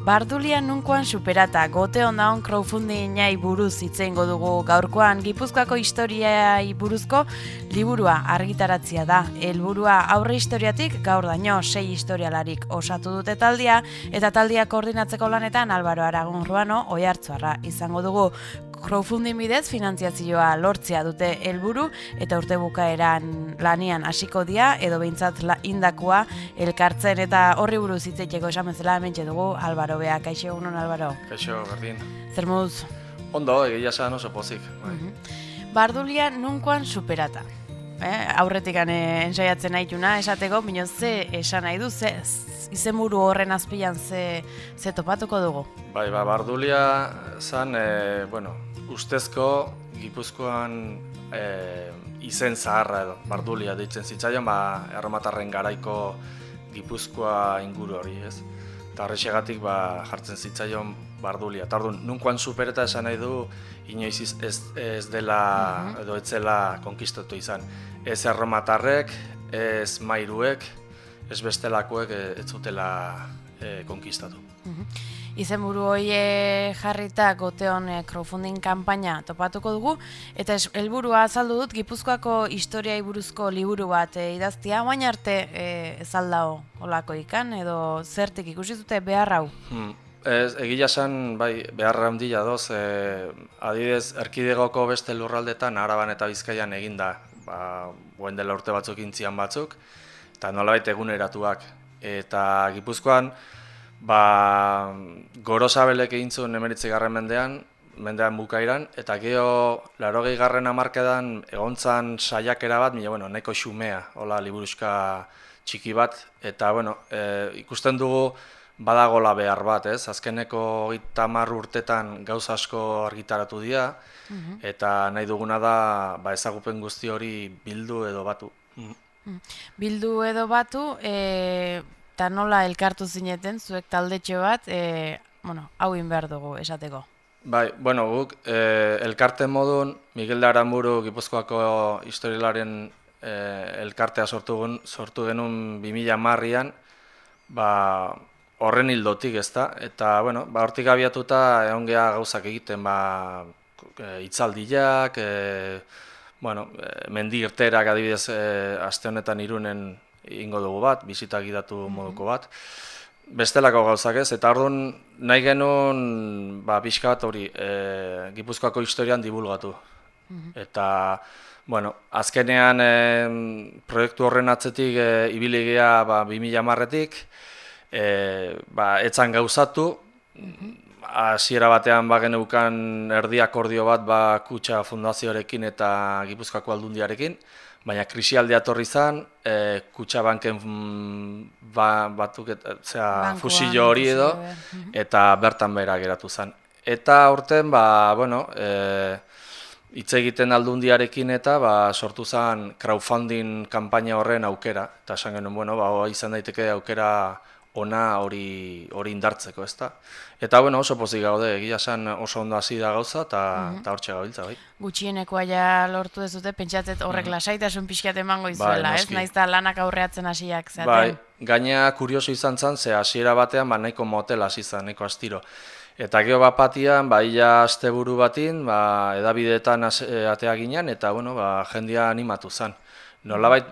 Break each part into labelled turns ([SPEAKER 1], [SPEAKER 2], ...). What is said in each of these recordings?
[SPEAKER 1] Bardulia nunkoan superata, gote ondaon crowdfundingai buruz hitzeingo dugu gaurkoan. Gipuzkoako historiai buruzko liburua argitaratzea da. Helburua aurre historiatik gaur daño 6 historialarik osatu dute taldia, eta taldia koordinatzeko lanetan Álvaro Aragon Ruano Oiartzuarra izango dugu. Crowdfunding bidez finantziazioa lortzea dute helburu eta urte bukaeran lanian hasiko dira edo behintzat indakoa elkartzen, eta horri buruz hitzeiteko esan bezala hementxe dugu Álvaro Bea. Kaixo, egunon Álvaro.
[SPEAKER 2] Kaixo, berdin.
[SPEAKER 1] Zer moduz?
[SPEAKER 2] Ondo, egia esan oso pozik.
[SPEAKER 1] Bardulia nunkoan superata. Aurretik ensaiatzen nahituna esateko, bino ze esan nahi du, izenburu horren azpian ze topatuko dugu?
[SPEAKER 2] Bai, Bardulia zan, ustezko Gipuzkoan izen zaharra edo, Bardulia deitzen zitzaion, erromatarren garaiko Gipuzkoa inguru hori, ez? Eta horrexegatik jartzen zitzaion Bardulia. Eta orduan, nunkoan supereta esan nahi du, inoiz ez dela edo ez zela konkistatu izan. Ez erromatarrek, ez mairuek, ez bestelakoek ez zutela konkistatu.
[SPEAKER 1] Izenburu hori jarrita goteon crowdfunding kanpaina topatuko dugu, eta helburua azaldu dut Gipuzkoako historiai buruzko liburu bat idaztia, oain arte ez aldao olako ikan, edo zertik ikusi zute behar hau?
[SPEAKER 2] Egia esan, beharra handia doz, adibidez, erkidegoko beste lurraldetan, Araban eta Bizkaian eginda, guen dela urte batzuk intzian batzuk, eta nolabait eguneratuak. Eta Gipuzkoan, Gorosabelek egin zuen 19. mendean bukairan, eta gero 80. hamarkadan egontzan saiakera bat, nahiko xumea, hola liburuxka txiki bat, eta ikusten dugu badagola behar bat, ez? Azkeneko 30 urtetan gauza asko argitaratu dira, eta nahi duguna da ezagupen guzti hori bildu edo batu.
[SPEAKER 1] Bildu edo batu, eta nola elkartu zineten, zuek taldetxo bat, hau behar dugu esateko.
[SPEAKER 2] Guk elkarte modun Miguel de Aranburu Gipuzkoako historialaren elkartea sortu genuen 2010an, horren hildotik, ezta? Eta, hortik abiatuta egon geha gauzak egiten, hitzaldiak, mendi irterak adibidez aste honetan Irunen ingo dugu bat, bisita gidatu moduko bat. Bestelako gauzak ez, eta orduan nahi genuen pixka bat hori Gipuzkoako historian dibulgatu. Eta, azkenean proiektu horren atzetik ibili geha 2010etik, etzan gauzatu, hasiera batean geneukan erdi akordio bat Kutxa Fundazioarekin eta Gipuzkoako Aldundiarekin, baina krisialdia etorri izan, Kutxabanken fusillo hori edo, eta bertan behera geratu zen. Eta aurten, hitz egiten Aldundiarekin eta sortu zen crowdfunding kanpaina horren aukera, eta esan genuen, izan daiteke aukera ona hori indartzeko, ezta? Eta oso pozik gaude, egia esan oso ondo hasi da gauza eta hortxe gabiltza, bai.
[SPEAKER 1] Gutxienekoa ja lortu dezute, pentsatzet horrek lasaitasun pixkat emango izuela, ez? Naiz da lanak aurreatzen hasiak zaten.
[SPEAKER 2] Gaina kurioso izan zen, ze hasiera batean nahiko motel hasi zen, nahiko astiro. Eta gero batian, ia asteburu batin, edabideetan atea ginen, eta jendia animatu zen. Nolabait,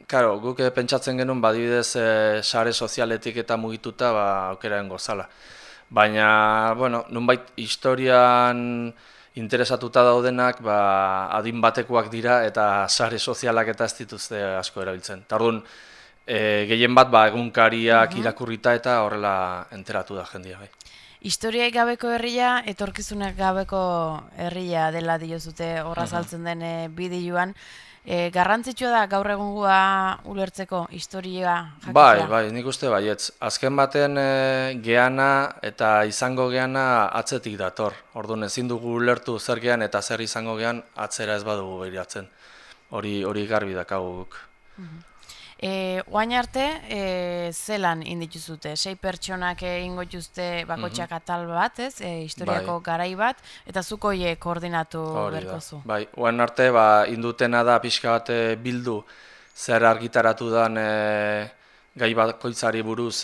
[SPEAKER 2] karo, guk pentsatzen genuen badibidez sare sozialetik eta mugituta aukeraen gozala. Baina, nunbait historian interesatuta daudenak adin batekoak dira eta sare sozialak eta ez dituzte asko erabiltzen. Eta orduan, gehien bat egunkariak irakurrita eta horrela enteratu da jendia.
[SPEAKER 1] Historiaik gabeko herria, etorkizunak gabeko herria dela diozute horra saltzen den bideoan. Garrantzitsua da gaur egungoa ulertzeko historia jakitea?
[SPEAKER 2] Bai, nik uste baietz. Azken baten geana eta izango geana atzetik dator. Orduan ezin dugu ulertu zer gean eta zer izango gean atzera ez badugu behiratzen. Hori garbi dakagu guk.
[SPEAKER 1] Oain arte, zelan indituzute? 6 pertsonak ingo juzte bakotxak atal bat, ez? Historiako garai bat, eta zuko koordinatu berkozu.
[SPEAKER 2] Bai, oain arte, indutena da pixka bat bildu zer argitaratu dan gai bakoitzari buruz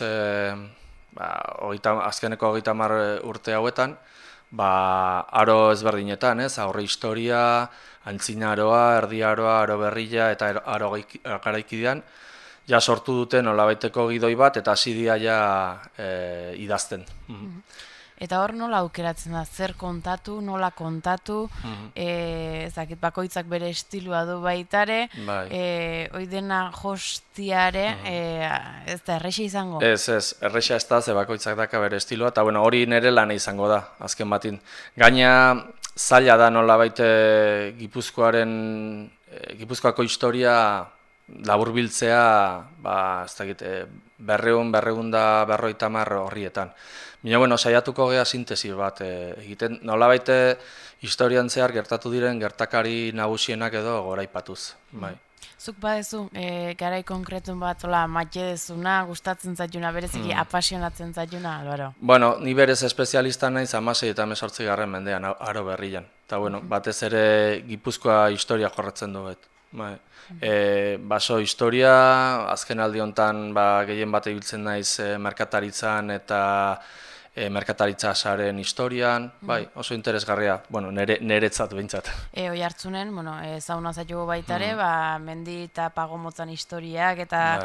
[SPEAKER 2] azkeneko 30 urte hauetan, aro ezberdinetan, aurre historia, antzinaroa, erdiaroa, aro berria eta aro garaikidean, ja sortu duten nolabaiteko gidoi bat eta hasi dira ja idazten.
[SPEAKER 1] Eta hor nola aukeratzen da, zer kontatu, nola kontatu, ezakit bakoitzak bere estilua du baitare, hoi dena jostiare, ez da, erreixa izango?
[SPEAKER 2] Ez, erreixa ez da, ze bakoitzak daka bere estilua, eta hori nire lana izango da, azken batin. Gaina zaila da nolabait Gipuzkoako historia laburbiltzea, ez dakit, 250 horrietan. Baina, saiatuko gea sintesi bat egiten, nolabait historian zehar gertatu diren gertakari nagusienak edo goraipatuz.
[SPEAKER 1] Zuk badezu, garai konkretun bat maite dezuna, gustatzen zaituna, bereziki apasionatzen zaituna, Alvaro?
[SPEAKER 2] Ni berez espezialista naiz 16 eta 18 mendean aro berrian. Eta, batez ere Gipuzkoa historia jorratzen duet. Baso historia, azken aldi honetan gehien bat ibiltzen naiz merkataritzan eta merkataritza saren historian, oso interesgarria, niretzat behintzat.
[SPEAKER 1] Oihartzunen, zauna zaitugu baitare, mendi eta pagomotzan historiak eta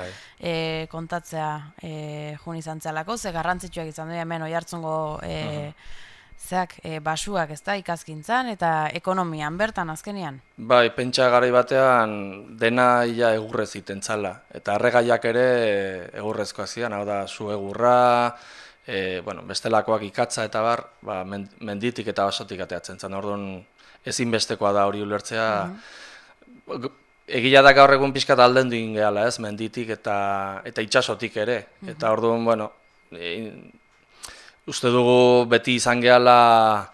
[SPEAKER 1] kontatzea jun izan zelako, ze garrantzitsuak izan du hemen Oihartzungo basuak, ez da, ikaskintzan eta ekonomian bertan azkenean?
[SPEAKER 2] Pentsa garai batean dena ia egurrez iten txala, eta erregaiak ere egurrezkoak zidan, hau da, zu egurra, bestelakoak ikatza eta menditik eta basotik ateatzen zen, orduan ezinbestekoa da hori ulertzea. Egia da gaur egun pixkat aldendu ingeala, menditik eta itsasotik ere, eta orduan, uste dugu beti izan gehala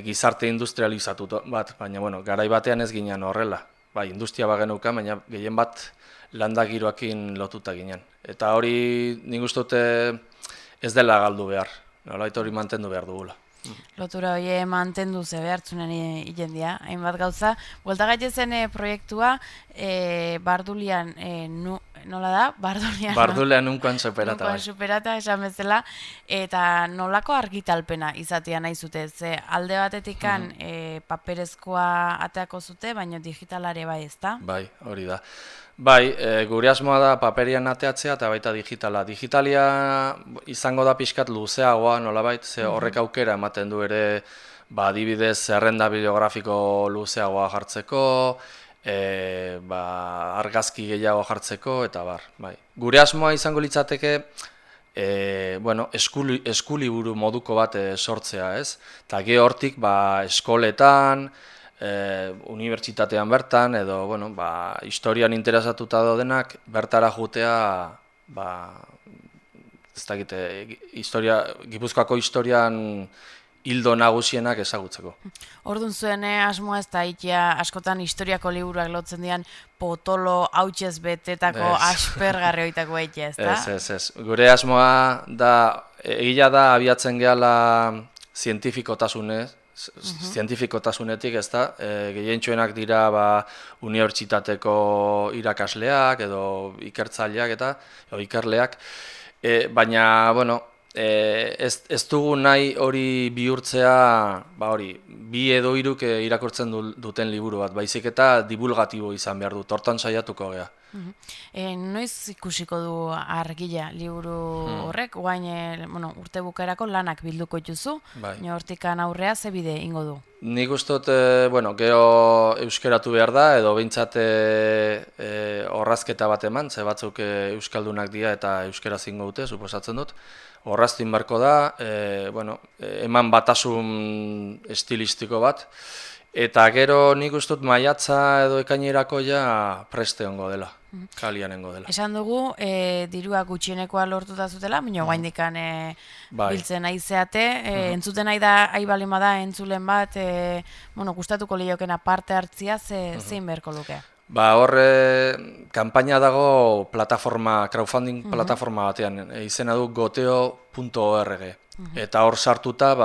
[SPEAKER 2] gizarte industrializatu bat, baina garai batean ez ginen horrela. Industria bagenuka, baina gehien bat landagiroakin lotuta ginen. Eta hori nik uste dute ez dela galdu behar, nolait hori mantendu behar dugula.
[SPEAKER 1] Lotura hori mantendu ze behartzunen jendia, hainbat gauza. Buelta gaitezen proiektua, Bardulian, nola da?
[SPEAKER 2] Bardulian unkoan superata.
[SPEAKER 1] Unkoan superata, esan bezala, eta nolako argitalpena izatea nahi zute, ze alde batetikan paperezkoa ateako zute, baina digitalare bai, ez da?
[SPEAKER 2] Hori da. Gure asmoa da paperian ateatzea eta baita digitala. Digitalia izango da pixkat luzeagoa nolabait, ze horrek aukera ematen du ere adibidez zerrenda bibliografiko luzeagoa jartzeko, argazki gehiago jartzeko eta bar. Gure asmoa izango litzateke eskuliburu moduko bat sortzea, ez? Eta hortik eskoletan, unibertsitatean bertan, edo historian interesatuta daudenak bertara jutea, ez dakite, Gipuzkoako historian hildo nagusienak ezagutzeko.
[SPEAKER 1] Orduan zuen asmoa ez da ikia askotan historiako liburuak lotzen dian potolo hautsez betetako aspergarri hoitako eitea, ez da?
[SPEAKER 2] Ez. Gure asmoa da, egia da abiatzen gehala zientifikotasunetik, ez da, gehientsuenak dira unibertsitateko irakasleak edo ikertzaileak eta ikerleak, baina, ez dugu nahi hori bihurtzea, bi edo hiruk irakurtzen duten liburu bat, baizik eta divulgatibo izan behar dut, hortan saiatuko gea.
[SPEAKER 1] Noiz ikusiko du argila liburu horrek, guain urte bukaerako lanak bilduko dituzu, hortikan aurrea ze bide ingo du?
[SPEAKER 2] Nik ustot, gero euskeratu behar da, edo behintzat orrazketa bat eman, ze batzuk euskaldunak dira eta euskera zingo dute, suposatzen dut. Orraztin barko da, eman batasun estilistiko bat, eta gero nik ustut maiatza edo ekainerako preste ongo dela, kalianengo dela.
[SPEAKER 1] Esan dugu, dirua gutxienekoa lortuta zutela, baina guaindikan biltzen nahi zeate, entzuten nahi da, balin bada entzulen bat, gustatuko liokena parte hartzia, zein beharko luke?
[SPEAKER 2] Horre, kanpaina dago crowdfunding plataforma batean, izena du goteo.org. Eta hor sartuta,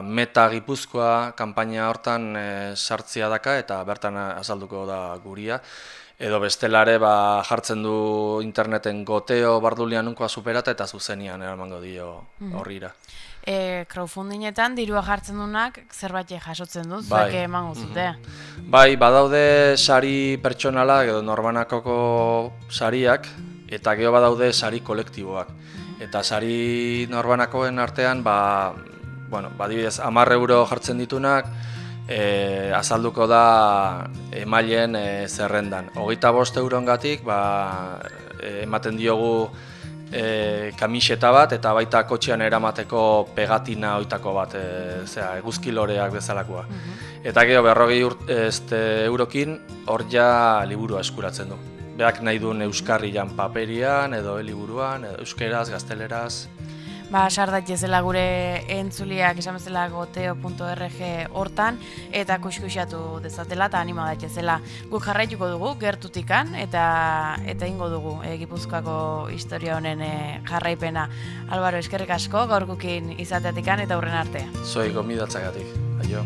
[SPEAKER 2] Meta Gipuzkoa kanpaina hortan sartzia daka eta bertan azalduko da guria. edo bestelare jartzen du interneten Goteo Bardulian nunkoa superata eta zuzenian eramango dio horrira.
[SPEAKER 1] Crowdfundingetan dirua jartzen dunak zerbait jasotzen du, zuek emango zute.
[SPEAKER 2] Bai, badaude sari pertsonalak edo norbanakoko sariak, eta gero badaude sari kolektiboak. Eta sari norbanakoen artean, adibidez, 10 euro jartzen ditunak, azalduko da emaileen zerrendan. 25 eurongatik ematen diogu kamiseta bat eta baita kotxean eramateko pegatina oitako bat, eguzkiloreak bezalakoa. Eta gero 40 eurokin hor ja liburua eskuratzen du. Beak nahi duen euskarrian paperian edo liburuan, edo euskeraz, gazteleraz.
[SPEAKER 1] Sar daitezela gure entzuliak esan bezala goteo.org hortan eta kuskuxatu dezatela eta anima daitezela. Guk jarraituko dugu gertutikan eta ingo dugu Gipuzkoako historia honen jarraipena. Álvaro, eskerrik asko gaurkokin izateatikan eta hurren arte.
[SPEAKER 2] Zoi gomidatzagatik. Aio.